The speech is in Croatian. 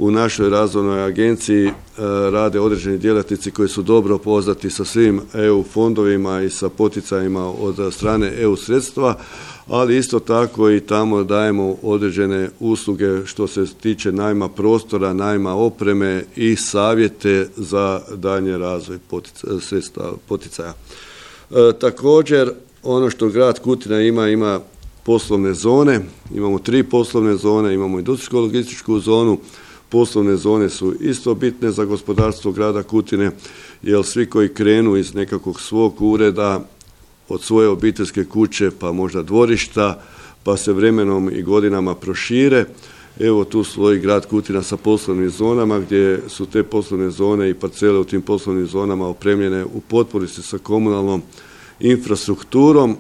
u našoj razvojnoj agenciji rade određeni djelatnici koji su dobro poznati sa svim EU fondovima i sa poticajima od strane EU sredstva, ali isto tako i tamo dajemo određene usluge što se tiče najma prostora, najma opreme i savjete za daljnji razvoj sredstva poticaja. Također, ono što grad Kutina ima poslovne zone, imamo 3 poslovne zone, imamo industrijsko-logističku zonu. Poslovne zone su isto bitne za gospodarstvo grada Kutine, jer svi koji krenu iz nekakvog svog ureda, od svoje obiteljske kuće, pa možda dvorišta, pa se vremenom i godinama prošire. Evo tu stoji grad Kutina sa poslovnim zonama, gdje su te poslovne zone i parcele u tim poslovnim zonama opremljene u potpunosti sa komunalnom infrastrukturom